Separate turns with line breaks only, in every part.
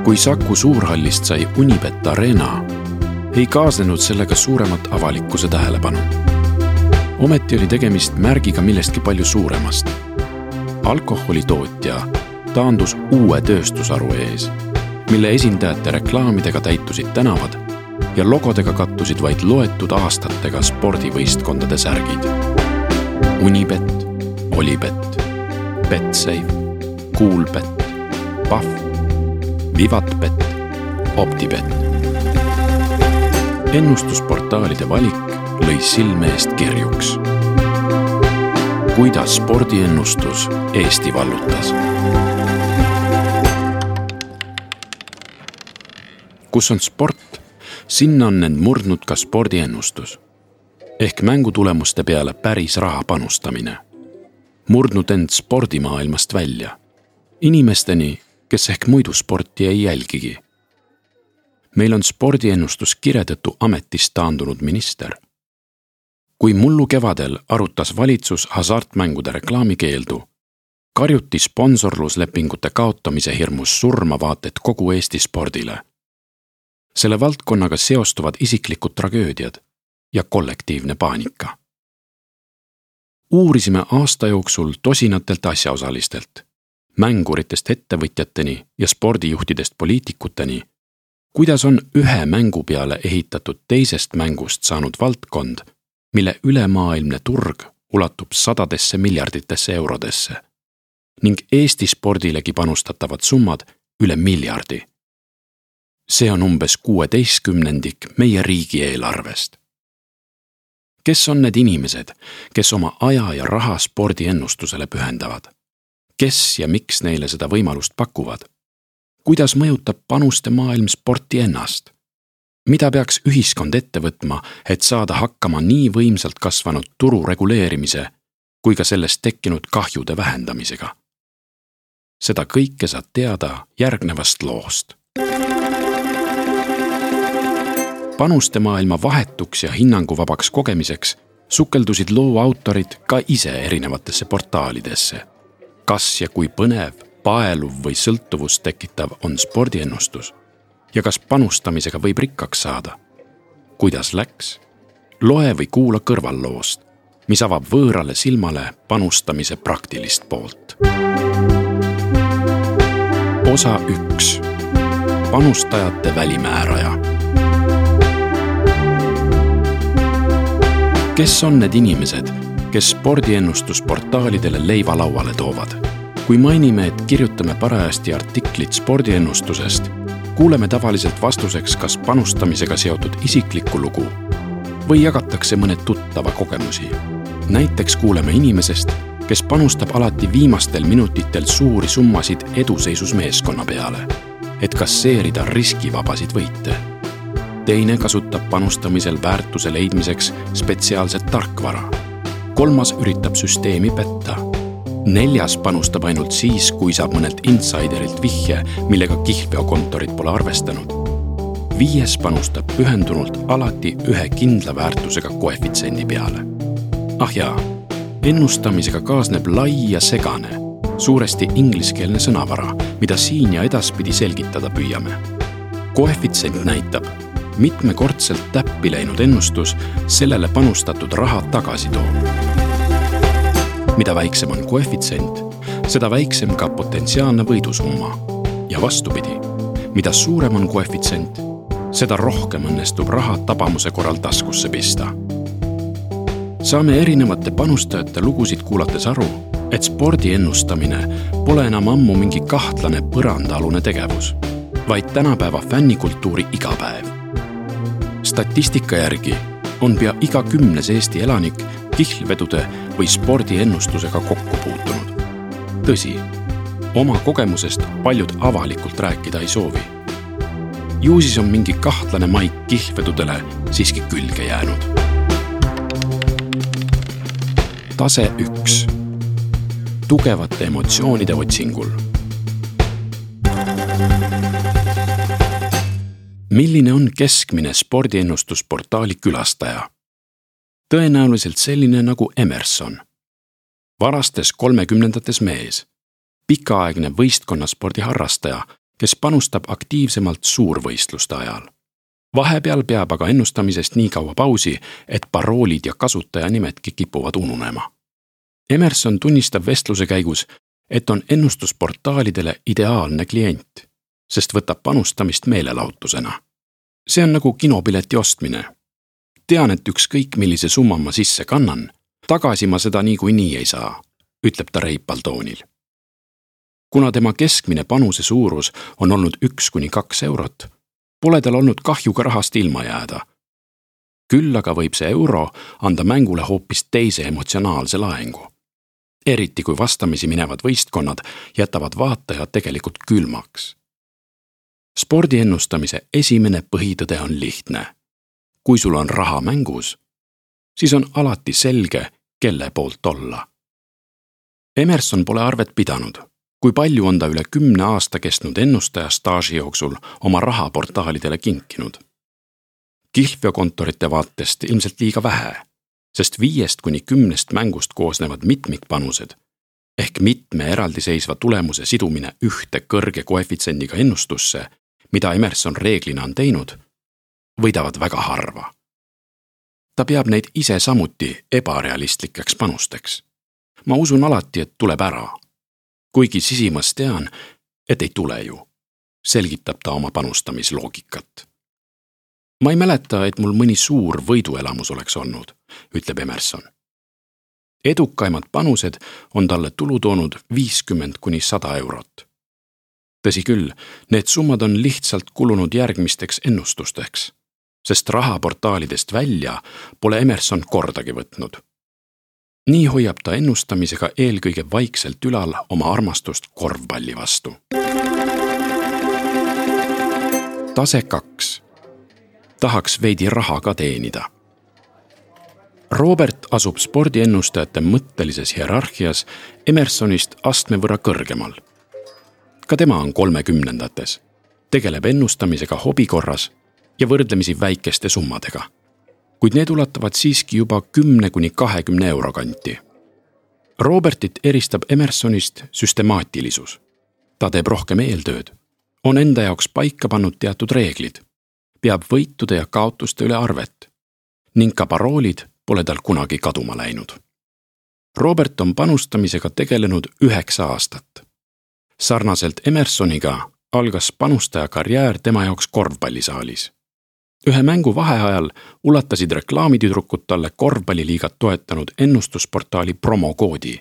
Kui Saku Suurhallist sai Unibet Arena, ei kaasnenud sellega suuremat avalikkuse tähelepanu. Ometi oli tegemist märgiga millestki palju suuremast. Alkoholitootja taandus uue tööstusharu ees, mille esindajate reklaamidega täitusid tänavad ja logodega kattusid vaid loetud aastatega spordivõistkondade särgid. Unibet, Olibet, Betsafe, Coolbet, Paf, Vivatbet, Optibet. Ennustusportaalide valik lõi silme eest kerjuks. Kuidas spordiennustus Eesti vallutas? Kus on sport, sinna on end murdnud ka spordiennustus. Ehk mängutulemuste peale päris raha panustamine. Murdnud end spordimaailmast välja. Inimesteni, kes ehk muidu sporti ei jälgigi. Meil on spordiennustus kiredõttu ametist taandunud minister. Kui mullu kevadel arutas valitsus hasartmängude reklaamikeeldu, karjuti sponsorluslepingute kaotamise hirmus surma vaated kogu Eesti spordile. Selle valdkonnaga seostuvad isiklikud tragöödiad ja kollektiivne paanika. Uurisime aasta jooksul tosinatelt asjaosalistelt, mänguritest ettevõtjateni ja spordijuhtidest poliitikuteni, kuidas on ühe mängu peale ehitatud teisest mängust saanud valdkond, mille ülemaailmne turg ulatub sadadesse miljarditesse eurodesse ning Eesti spordilegi panustatavad summad üle miljardi. See on umbes 16% meie riigieelarvest. Kes on need inimesed, kes oma aja ja raha spordiennustusele pühendavad? Kes ja miks neile seda võimalust pakuvad? Kuidas mõjutab panuste maailm sporti ennast? Mida peaks ühiskond ette võtma, et saada hakkama nii võimsalt kasvanud turu reguleerimise kui ka sellest tekkinud kahjude vähendamisega? Seda kõike saad teada järgnevast loost. Panuste maailma vahetuks ja hinnanguvabaks kogemiseks sukeldusid loo autorid ka ise erinevatesse portaalidesse. Kas ja kui põnev, paeluv või sõltuvust tekitav on spordiennustus ja kas panustamisega võib rikkaks saada? Kuidas läks? Loe või kuula kõrvalloost, mis avab võõrale silmale panustamise praktilist poolt. Osa 1. Panustajate välimääraja. Kes on need inimesed, kes spordiennustusportaalidele leiva lauale toovad? Kui mainime, et kirjutame parajasti artiklit spordiennustusest, kuuleme tavaliselt vastuseks kas panustamisega seotud isiklikku lugu või jagatakse mõned tuttava kogemusi. Näiteks kuuleme inimesest, kes panustab alati viimastel minutitel suuri summasid eduseisus meeskonna peale, et kasseerida riskivabasid võite. Teine kasutab panustamisel väärtuse leidmiseks spetsiaalset tarkvara. Kolmas üritab süsteemi petta. 4. panustab ainult siis, kui saab mõnelt insiderilt vihje, millega kihlveokontorid pole arvestanud. 5. panustab pühendunult alati ühe kindla väärtusega koefitsiendi peale. Ah jaa, ennustamisega kaasneb lai ja segane, suuresti ingliskeelne sõnavara, mida siin ja edaspidi selgitada püüame. Koefitsient näitab, mitmekordselt täppi läinud ennustus sellele panustatud raha tagasi toob. Mida väiksem on koefitsient, seda väiksem ka potentsiaalne võidusumma. Ja vastupidi, mida suurem on koefitsient, seda rohkem õnnestub raha tabamuse korral taskusse pista. Saame erinevate panustajate lugusid kuulates aru, et spordi ennustamine pole enam ammu mingi kahtlane põrandaalune tegevus, vaid tänapäeva fännikultuuri igapäev. Statistika järgi on pea iga 10. Eesti elanik kihlvedude või spordiennustusega kokku puutunud. Tõsi, oma kogemusest paljud avalikult rääkida ei soovi. Ju siis on mingi kahtlane maik kihlvedudele siiski külge jäänud. Tase 1. Tugevate emotsioonide otsingul. Milline on keskmine spordiennustusportaali külastaja? Tõenäoliselt selline nagu Emerson. Varastes 30-ndates mees, pikaaegne võistkonnaspordi harrastaja, kes panustab aktiivsemalt suurvõistluste ajal. Vahepeal peab aga ennustamisest nii kaua pausi, et paroolid ja kasutajanimetki kipuvad ununema. Emerson tunnistab vestluse käigus, et on ennustusportaalidele ideaalne klient, sest võtab panustamist meelelahutusena. See on nagu kinopileti ostmine. Tean, et ükskõik millise summa ma sisse kannan, tagasi ma seda niikuinii ei saa, ütleb ta reipal toonil. Kuna tema keskmine panuse suurus on olnud 1–2 eurot, pole tal olnud kahjuga rahast ilma jääda. Küll aga võib see euro anda mängule hoopis teise emotsionaalse laengu. Eriti kui vastamisi minevad võistkonnad jätavad vaatajad tegelikult külmaks. Spordiennustamise esimene põhitõde on lihtne. Kui sul on raha mängus, siis on alati selge, kelle poolt olla. Emerson pole arvet pidanud, kui palju on ta üle 10 aasta kestnud ennustaja staaži jooksul oma raha portaalidele kinkinud. Kihlveokontorite vaatest ilmselt liiga vähe, sest 5–10 mängust koosnevad mitmikpanused ehk mitme eraldiseisva tulemuse sidumine ühte kõrge koefitsendiga ennustusse, mida Emerson reeglina on teinud, võidavad väga harva. Ta peab neid ise samuti ebarealistlikeks panusteks. Ma usun alati, et tuleb ära. Kuigi sisimas tean, et ei tule ju, selgitab ta oma panustamisloogikat. Ma ei mäleta, et mul mõni suur võiduelamus oleks olnud, ütleb Emerson. Edukaimad panused on talle tulu toonud 50–100 eurot. Tõsi küll, need summad on lihtsalt kulunud järgmisteks ennustusteks, sest rahaportaalidest välja pole Emerson kordagi võtnud. Nii hoiab ta ennustamisega eelkõige vaikselt ülal oma armastust korvpalli vastu. Tase 2. Tahaks veidi raha ka teenida. Robert asub spordiennustajate mõttelises hierarhias Emersonist astme võrra kõrgemal. Ka tema on 30-ndates, tegeleb ennustamisega hobikorras ja võrdlemisi väikeste summadega, kuid need ulatavad siiski juba 10–20 euro kanti. Robertit eristab Emersonist süstemaatilisus. Ta teeb rohkem eeltööd, on enda jaoks paika pannud teatud reeglid, peab võitude ja kaotuste üle arvet ning ka paroolid pole tal kunagi kaduma läinud. Robert on panustamisega tegelenud 9 aastat. Sarnaselt Emersoniga algas panustaja karjäär tema jaoks korvpallisaalis. Ühe mängu vaheajal ulatasid reklaamitüdrukud talle korvpalliliigat toetanud ennustusportaali promokoodi,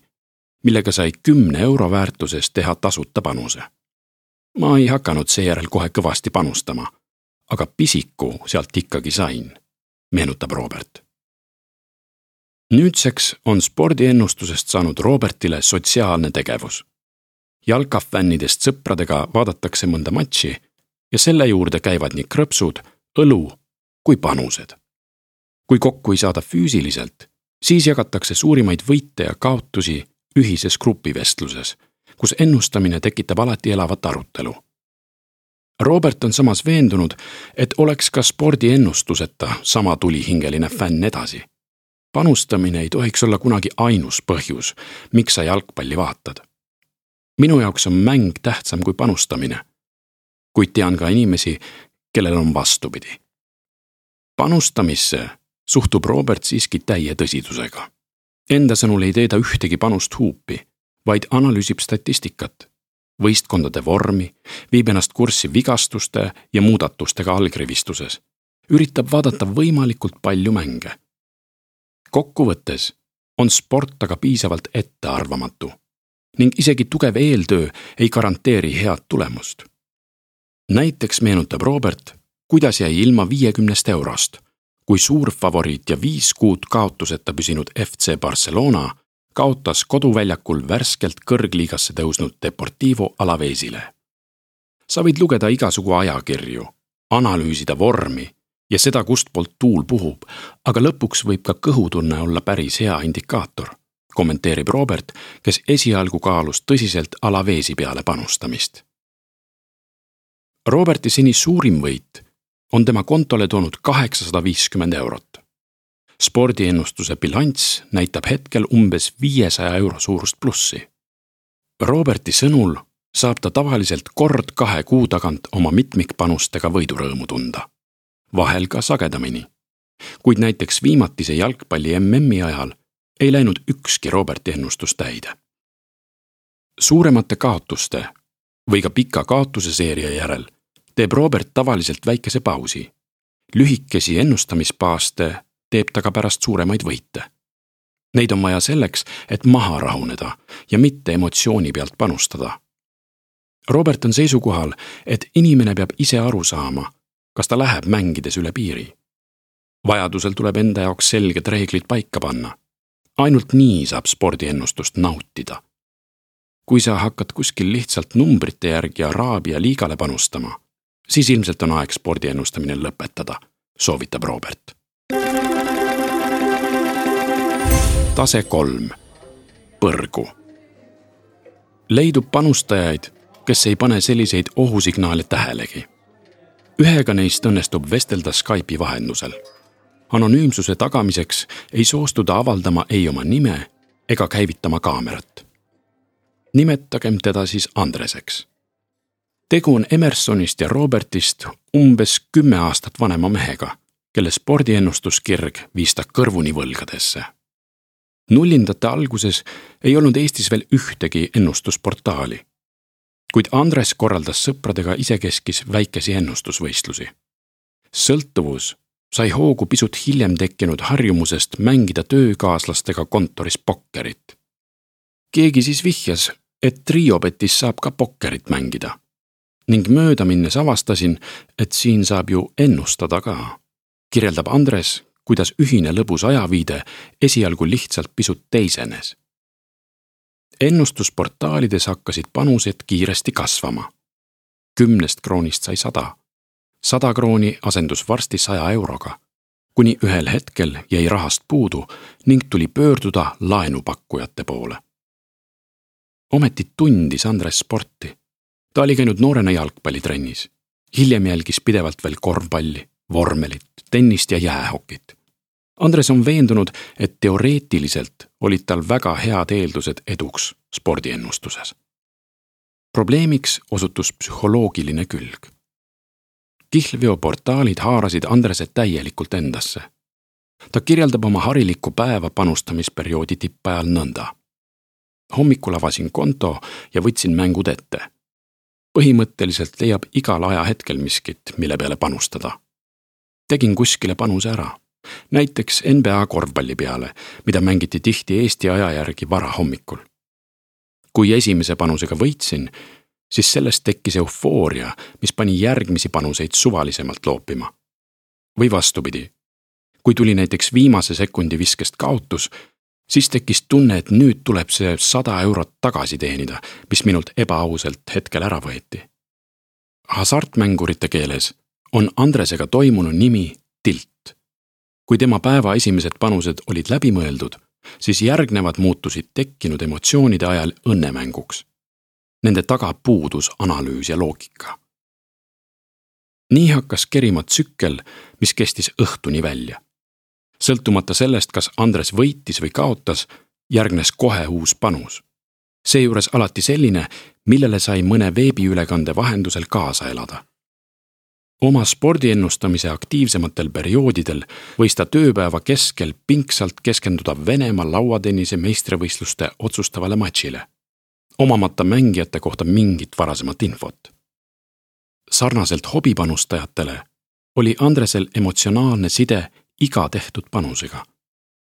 millega sai 10 euro väärtuses teha tasuta panuse. Ma ei hakanud seejärel kohe kõvasti panustama, aga pisiku sealt ikkagi sain, meenutab Robert. Nüüdseks on spordiennustusest saanud Robertile sotsiaalne tegevus. Jalkafännidest sõpradega vaadatakse mõnda matši ja selle juurde käivad nii krõpsud, õlu kui panused. Kui kokku ei saada füüsiliselt, siis jagatakse suurimaid võite ja kaotusi ühises grupivestluses, kus ennustamine tekitab alati elavat arutelu. Robert on samas veendunud, et oleks ka spordiennustuseta sama tulihingeline fänn edasi. Panustamine ei tohiks olla kunagi ainus põhjus, miks sa jalgpalli vaatad. Minu jaoks on mäng tähtsam kui panustamine, kuid tean ka inimesi, kellel on vastupidi. Panustamisse suhtub Robert siiski täie tõsidusega. Enda sõnul ei tee ta ühtegi panust huupi, vaid analüüsib statistikat, võistkondade vormi, viib ennast kurssi vigastuste ja muudatustega allkrivistuses, üritab vaadata võimalikult palju mänge. Kokkuvõttes on sport aga piisavalt ettearvamatu ning isegi tugev eeltöö ei garanteeri head tulemust. Näiteks meenutab Robert, kuidas jäi ilma 50 eurost, kui suur favoriit ja 5 kuud kaotuseta püsinud FC Barcelona kaotas koduväljakul värskelt kõrgliigasse tõusnud Deportivo Alavesile. Sa võid lugeda igasugu ajakirju, analüüsida vormi ja seda, kust poolt tuul puhub, aga lõpuks võib ka kõhutunne olla päris hea indikaator, kommenteerib Robert, kes esialgu kaalus tõsiselt Alavesi peale panustamist. Roberti seni suurim võit on tema kontole toonud 850 eurot. Spordiennustuse bilanss näitab hetkel umbes 500 euro suurust plussi. Roberti sõnul saab ta tavaliselt kord 2 kuu tagant oma mitmikpanustega võidurõõmu tunda. Vahel ka sagedamini. Kuid näiteks viimatise jalgpalli MM-i ajal ei läinud ükski Roberti ennustus täide. Suuremate kaotuste või ka pika kaotuse seeria järel teeb Robert tavaliselt väikese pausi. Lühikesi ennustamispaaste teeb ta ka pärast suuremaid võite. Neid on vaja selleks, et maha rahuneda ja mitte emotsiooni pealt panustada. Robert on seisukohal, et inimene peab ise aru saama, kas ta läheb mängides üle piiri. Vajadusel tuleb enda jaoks selged reeglid paika panna. Ainult nii saab spordiennustust nautida. Kui sa hakkad kuskil lihtsalt numbrite järgi Araabia liigale panustama, siis ilmselt on aeg spordiennustamine lõpetada, soovitab Robert. Tase 3. Põrgu. Leidub panustajaid, kes ei pane selliseid ohusignaale tähelegi. Ühega neist õnnestub vestelda Skype'i vahendusel. Anonüümsuse tagamiseks ei soostuda avaldama ei oma nime ega käivitama kaamerat. Nimetagem teda siis Andreseks. Tegu on Emersonist ja Robertist umbes 10 aastat vanema mehega, kelle spordiennustuskirg viis ta kõrvuni võlgadesse. Nullindate alguses ei olnud Eestis veel ühtegi ennustusportaali, kuid Andres korraldas sõpradega isekeskis väikesi ennustusvõistlusi. Sõltuvus sai hoogu pisut hiljem tekkinud harjumusest mängida töökaaslastega kontoris pokkerit. Keegi siis vihjas, et Triobetis saab ka pokkerit mängida. Ning mööda minnes avastasin, et siin saab ju ennustada ka. Kirjeldab Andres, kuidas ühine lõbus ajaviide esialgu lihtsalt pisut teisenes. Ennustusportaalides hakkasid panused kiiresti kasvama. 10 kroonist sai 100. 100 krooni asendus varsti 100 euroga, kuni ühel hetkel jäi rahast puudu ning tuli pöörduda laenupakkujate poole. Ometi tundis Andres sporti. Ta oli käinud noorena jalgpallitrennis. Hiljem jälgis pidevalt veel korvpalli, vormelit, tennist ja jäähokit. Andres on veendunud, et teoreetiliselt olid tal väga head eeldused eduks spordiennustuses. Probleemiks osutus psühholoogiline külg. Kihlveoportaalid haarasid Andrese täielikult endasse. Ta kirjeldab oma harilikku päeva panustamisperioodi tippajal nõnda. Hommikul avasin konto ja võtsin mängud ette. Põhimõtteliselt leiab igal ajahetkel miskit, mille peale panustada. Tegin kuskile panuse ära. Näiteks NBA korvpalli peale, mida mängiti tihti Eesti aja järgi vara hommikul. Kui esimese panusega võitsin, siis sellest tekkis eufooria, mis pani järgmisi panuseid suvalisemalt loopima. Või vastupidi. Kui tuli näiteks viimase sekundi viskest kaotus, siis tekkis tunne, et nüüd tuleb see 100 eurot tagasi teenida, mis minult ebaausalt hetkel ära võeti. Hasartmängurite keeles on Andresega toimunu nimi tilt. Kui tema päeva esimesed panused olid läbimõeldud, siis järgnevad muutusid tekkinud emotsioonide ajal õnnemänguks. Nende taga puudus analüüs ja loogika. Nii hakkas kerima tsükkel, mis kestis õhtuni välja. Sõltumata sellest, kas Andres võitis või kaotas, järgnes kohe uus panus. Seejuures alati selline, millele sai mõne veebiülekande vahendusel kaasa elada. Oma spordiennustamise aktiivsematel perioodidel võis ta tööpäeva keskel pingsalt keskenduda Venemaa lauatennise meistrivõistluste otsustavale matšile, omamata mängijate kohta mingit varasemat infot. Sarnaselt hobipanustajatele oli Andresel emotsionaalne side iga tehtud panusega.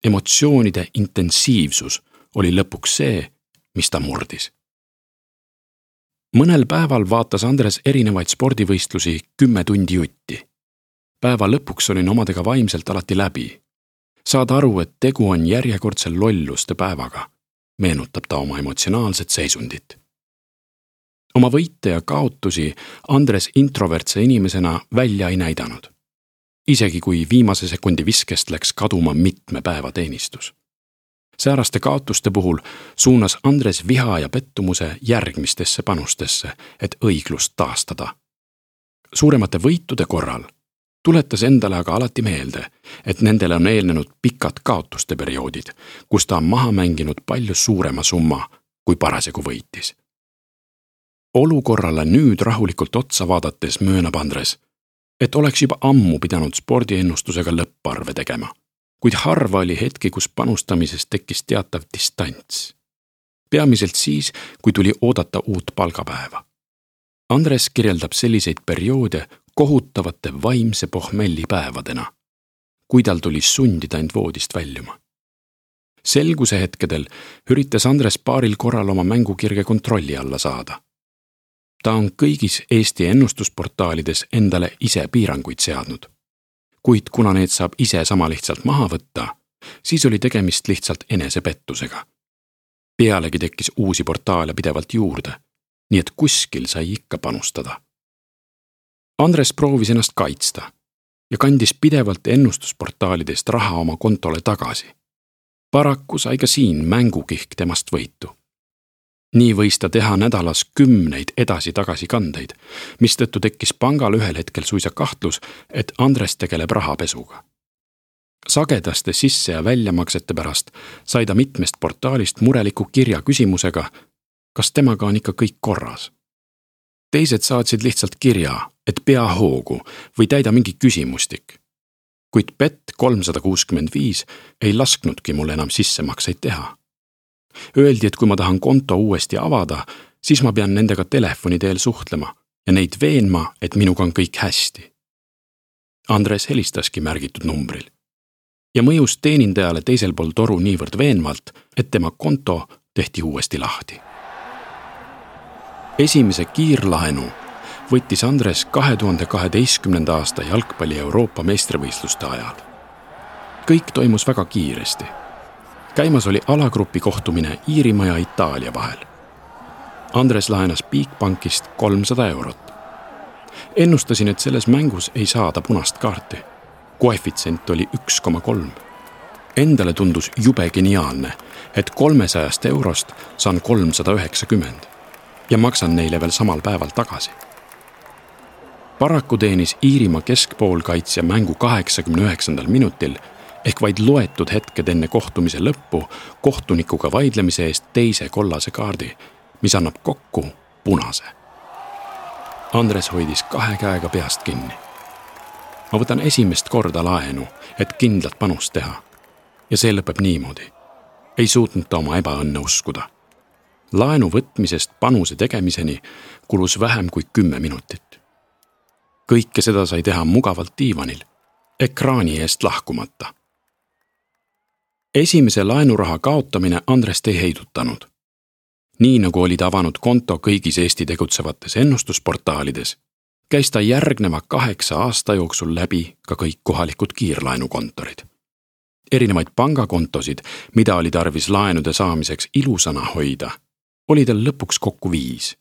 Emotsioonide intensiivsus oli lõpuks see, mis ta murdis. Mõnel päeval vaatas Andres erinevaid spordivõistlusi 10 tundi jutti. Päeva lõpuks olin omadega vaimselt alati läbi. Saad aru, et tegu on järjekordse lolluste päevaga, meenutab ta oma emotsionaalset seisundit. Oma võite ja kaotusi Andres introvertse inimesena välja ei näidanud. Isegi kui viimase sekundi viskest läks kaduma mitme päeva teenistus. Sääraste kaotuste puhul suunas Andres viha ja pettumuse järgmistesse panustesse, et õiglust taastada. Suuremate võitude korral tuletas endale aga alati meelde, et nendele on eelnenud pikad kaotuste perioodid, kus ta on maha mänginud palju suurema summa, kui parasjagu võitis. Olukorrale nüüd rahulikult otsa vaadates möönab Andres, et oleks juba ammu pidanud spordiennustusega lõpparve tegema, kuid harva oli hetki, kus panustamisest tekkis teatav distants. Peamiselt siis, kui tuli oodata uut palgapäeva. Andres kirjeldab selliseid perioode kohutavate vaimse pohmellipäevadena, kui tal tuli sundida end voodist väljuma. Selguse hetkedel üritas Andres paaril korral oma mängukirge kontrolli alla saada. Ta on kõigis Eesti ennustusportaalides endale ise piiranguid seadnud. Kuid kuna need saab ise sama lihtsalt maha võtta, siis oli tegemist lihtsalt enesepettusega. Pealegi tekkis uusi portaale pidevalt juurde, nii et kuskil sai ikka panustada. Andres proovis ennast kaitsta ja kandis pidevalt ennustusportaalidest raha oma kontole tagasi. Paraku sai ka siin mängukihk temast võitu. Nii võis ta teha nädalas 10 edasi-tagasi kandeid, mistõttu tekkis pangal ühel hetkel suisa kahtlus, et Andres tegeleb rahapesuga. Sagedaste sisse- ja väljamaksete pärast sai ta mitmest portaalist mureliku kirja küsimusega, kas temaga on ikka kõik korras. Teised saatsid lihtsalt kirja, et pea hoogu või täida mingi küsimustik. Kuid Bet365 ei lasknudki mul enam sissemakseid teha. Öeldi, et kui ma tahan konto uuesti avada, siis ma pean nendega telefoni teel suhtlema ja neid veenma, et minuga on kõik hästi. Andres helistaski märgitud numbril ja mõjus teenindajale teisel pool toru niivõrd veenvalt, et tema konto tehti uuesti lahti. Esimese kiirlaenu võttis Andres 2012. aasta jalgpalli Euroopa meistrivõistluste ajal. Kõik toimus väga kiiresti. Käimas oli alagrupi kohtumine Iirimaa ja Itaalia vahel. Andres laenas Bigbankist 300 eurot. Ennustasin, et selles mängus ei saada punast kaarti. Koefitsient oli 1,3. Endale tundus jube geniaalne, et 300 eurost saan 390 ja maksan neile veel samal päeval tagasi. Paraku teenis Iirimaa keskpoolkaitsja mängu 89. minutil ehk vaid loetud hetked enne kohtumise lõppu kohtunikuga vaidlemise eest teise kollase kaardi, mis annab kokku punase. Andres hoidis 2 käega peast kinni. Ma võtan esimest korda laenu, et kindlat panust teha. Ja see lõpeb niimoodi. Ei suutnud ta oma ebaõnne uskuda. Laenu võtmisest panuse tegemiseni kulus vähem kui 10 minutit. Kõike seda sai teha mugavalt diivanil, ekraani eest lahkumata. Esimese laenuraha kaotamine Andrest ei heidutanud. Nii nagu oli ta avanud konto kõigis Eesti tegutsevates ennustusportaalides, käis ta järgneva 8 aasta jooksul läbi ka kõik kohalikud kiirlaenukontorid. Erinevaid pangakontosid, mida oli tarvis laenude saamiseks ilusana hoida, oli tal lõpuks kokku 5.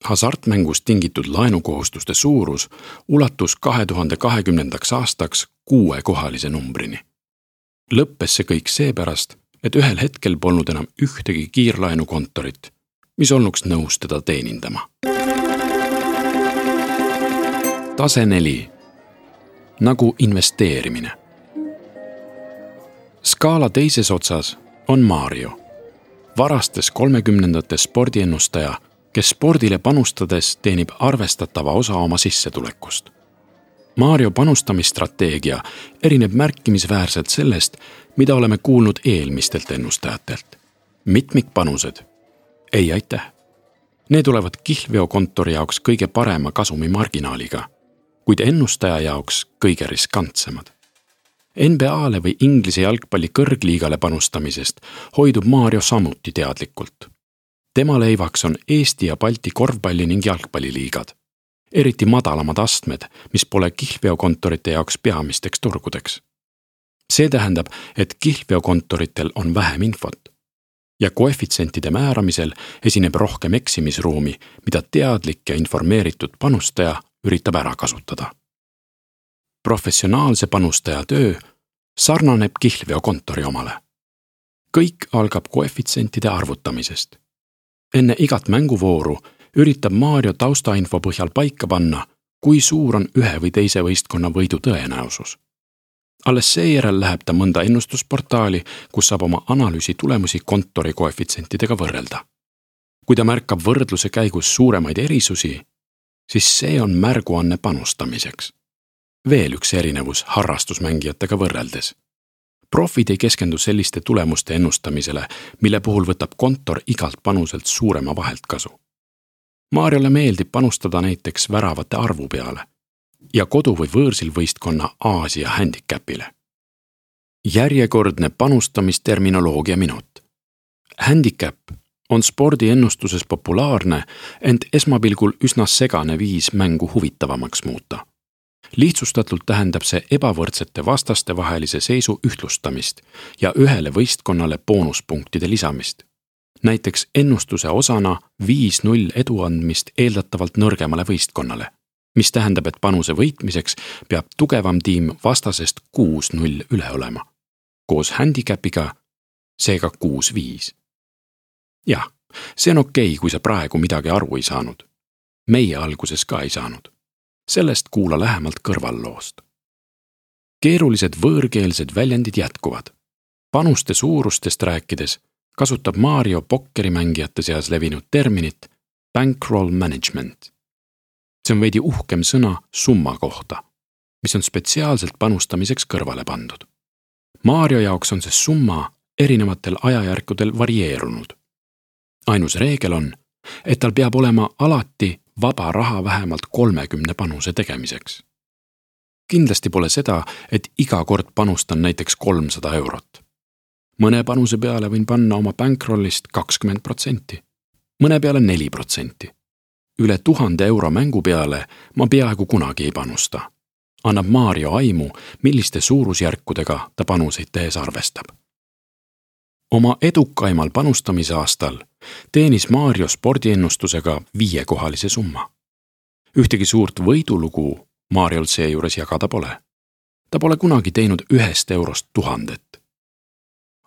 Hasartmängust tingitud laenukohustuste suurus ulatus 2020. aastaks 6-kohalise numbrini. Lõppes see kõik seepärast, et ühel hetkel polnud enam ühtegi kiirlaenukontorit, mis olnuks nõus teda teenindama. Tase 4. Nagu investeerimine. Skaala teises otsas on Mario, varastes 30ndate spordiennustaja, kes spordile panustades teenib arvestatava osa oma sissetulekust. Mario panustamisstrateegia erineb märkimisväärselt sellest, mida oleme kuulnud eelmistelt ennustajatelt. Mitmikpanused? Ei aitäh. Need tulevad kihlveokontori jaoks kõige parema kasumimarginaaliga, kuid ennustaja jaoks kõige riskantsemad. NBA-le või Inglise jalgpalli kõrgliigale panustamisest hoidub Mario samuti teadlikult. Tema leivaks on Eesti ja Balti korvpalli ning jalgpalliliigad, eriti madalamad astmed, mis pole kihlveokontorite jaoks peamisteks turgudeks. See tähendab, et kihlveokontoritel on vähem infot ja koefitsentide määramisel esineb rohkem eksimisruumi, mida teadlik ja informeeritud panustaja üritab ära kasutada. Professionaalse panustaja töö sarnaneb kihlveokontori omale. Kõik algab koefitsentide arvutamisest. Enne igat mänguvooru üritab Mario taustainfo põhjal paika panna, kui suur on ühe või teise võistkonna võidu tõenäosus. Alles seejärel läheb ta mõnda ennustusportaali, kus saab oma analüüsi tulemusi kontori koefitsentidega võrrelda. Kui ta märkab võrdluse käigus suuremaid erisusi, siis see on märguanne panustamiseks. Veel üks erinevus harrastusmängijatega võrreldes. Profid ei keskendu selliste tulemuste ennustamisele, mille puhul võtab kontor igalt panuselt suurema vahelt kasu. Mariole meeldib panustada näiteks väravate arvu peale ja kodu- või võõrsil võistkonna Aasia handicapile. Järjekordne panustamisterminoloogia minut. Handicap on spordiennustuses populaarne, ent esmapilgul üsna segane viis mängu huvitavamaks muuta. Lihtsustatult tähendab see ebavõrdsete vastaste vahelise seisu ühtlustamist ja ühele võistkonnale boonuspunktide lisamist. Näiteks ennustuse osana 5-0 edu andmist eeldatavalt nõrgemale võistkonnale, mis tähendab, et panuse võitmiseks peab tugevam tiim vastasest 6-0 üle olema. Koos handicapiga seega 6-5. Jah, see on okei, kui sa praegu midagi aru ei saanud. Meie alguses ka ei saanud. Sellest kuula lähemalt kõrvalloost. Keerulised võõrkeelsed väljendid jätkuvad. Panuste suurustest rääkides kasutab Mario pokkerimängijate seas levinud terminit bankroll management. See on veidi uhkem sõna summa kohta, mis on spetsiaalselt panustamiseks kõrvale pandud. Mario jaoks on see summa erinevatel ajajärkudel varieerunud. Ainus reegel on, et tal peab olema alati vaba raha vähemalt 30 panuse tegemiseks. Kindlasti pole seda, et iga kord panustan näiteks 300 eurot. Mõne panuse peale võin panna oma bankrollist 20%, mõne peale 4%. Üle 1000 euro mängu peale ma peaaegu kunagi ei panusta. Annab Mario aimu, milliste suurusjärkudega ta panuseid tehes arvestab. Oma edukaimal panustamisaastal teenis Mario spordiennustusega 5-kohalise summa. Ühtegi suurt võidulugu Mariol seejuures jagada pole. Ta pole kunagi teinud 1 eurost 1000.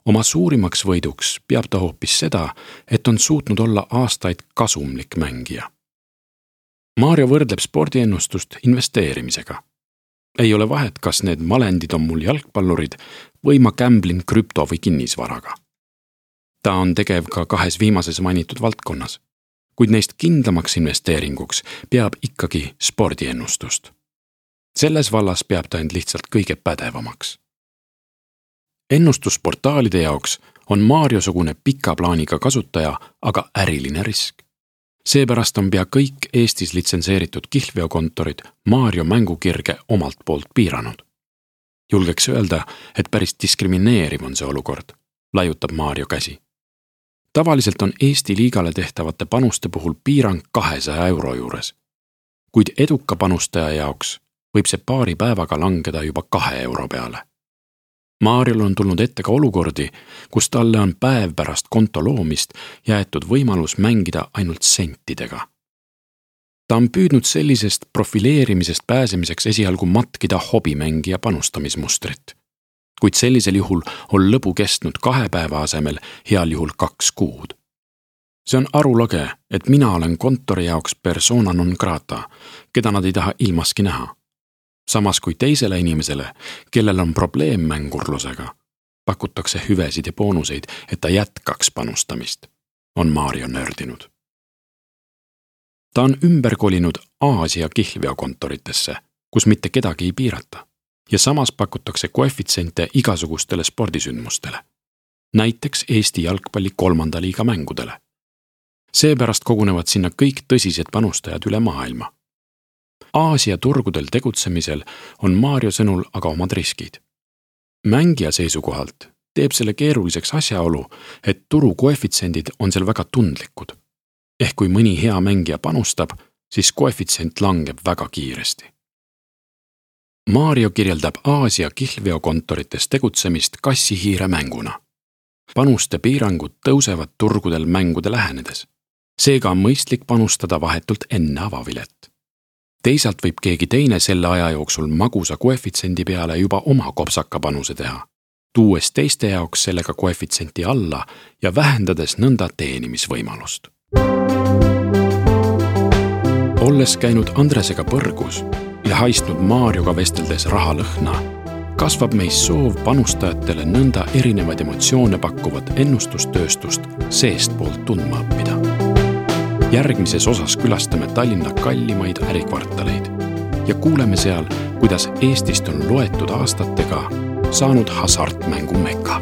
Oma suurimaks võiduks peab ta hoopis seda, et on suutnud olla aastaid kasumlik mängija. Mario võrdleb spordiennustust investeerimisega. Ei ole vahet, kas need malendid on mul jalgpallurid või ma gamblin krüpto- või kinnisvaraga. Ta on tegev ka 2 viimases mainitud valdkonnas, kuid neist kindlamaks investeeringuks peab ikkagi spordiennustust. Selles vallas peab ta end lihtsalt kõige pädevamaks. Ennustusportaalide jaoks on Mario-sugune pika plaaniga kasutaja aga äriline risk. Seepärast on pea kõik Eestis litsenseeritud kihlveokontorid Mario mängukirge omalt poolt piiranud. Julgeks öelda, et päris diskrimineeriv on see olukord, laiutab Mario käsi. Tavaliselt on Eesti liigale tehtavate panuste puhul piirang 200 euro juures, kuid eduka panustaja jaoks võib see paari päevaga langeda juba 2 euro peale. Mariol on tulnud ette ka olukordi, kus talle on päev pärast konto loomist jäetud võimalus mängida ainult sentidega. Ta on püüdnud sellisest profileerimisest pääsemiseks esialgu matkida hobimängija panustamismustrit, kuid sellisel juhul on lõbu kestnud 2 päeva asemel heal juhul 2 kuud. See on arulage, et mina olen kontori jaoks persona non grata, keda nad ei taha ilmaski näha. Samas kui teisele inimesele, kellel on probleem mängurlusega, pakutakse hüvesid ja boonuseid, et ta jätkaks panustamist, on Mario nördinud. Ta on ümber kolinud Aasia kihlveokontoritesse, kus mitte kedagi ei piirata, ja samas pakutakse koefitsiente igasugustele spordisündmustele, näiteks Eesti jalgpalli 3. liiga mängudele. Seepärast kogunevad sinna kõik tõsised panustajad üle maailma. Aasia turgudel tegutsemisel on Mario sõnul aga omad riskid. Mängija seisukohalt teeb selle keeruliseks asjaolu, et turu koefitsendid on seal väga tundlikud. Ehk kui mõni hea mängija panustab, siis koefitsient langeb väga kiiresti. Mario kirjeldab Aasia kihlveokontorites tegutsemist kassihiire mänguna. Panuste piirangud tõusevad turgudel mängude lähenedes. Seega on mõistlik panustada vahetult enne avavilet. Teisalt võib keegi teine selle aja jooksul magusa koefitsiendi peale juba oma kopsaka panuse teha, tuues teiste jaoks sellega koefitsienti alla ja vähendades nõnda teenimisvõimalust. Olles käinud Andresega põrgus ja haistnud Marioga vesteldes rahalõhna, kasvab meis soov panustajatele nõnda erinevaid emotsioone pakkuvat ennustustööstust seestpoolt tundma õppida. Järgmises osas külastame Tallinna kallimaid ärikvartaleid ja kuuleme seal, kuidas Eestist on loetud aastatega saanud hasartmängu mekka.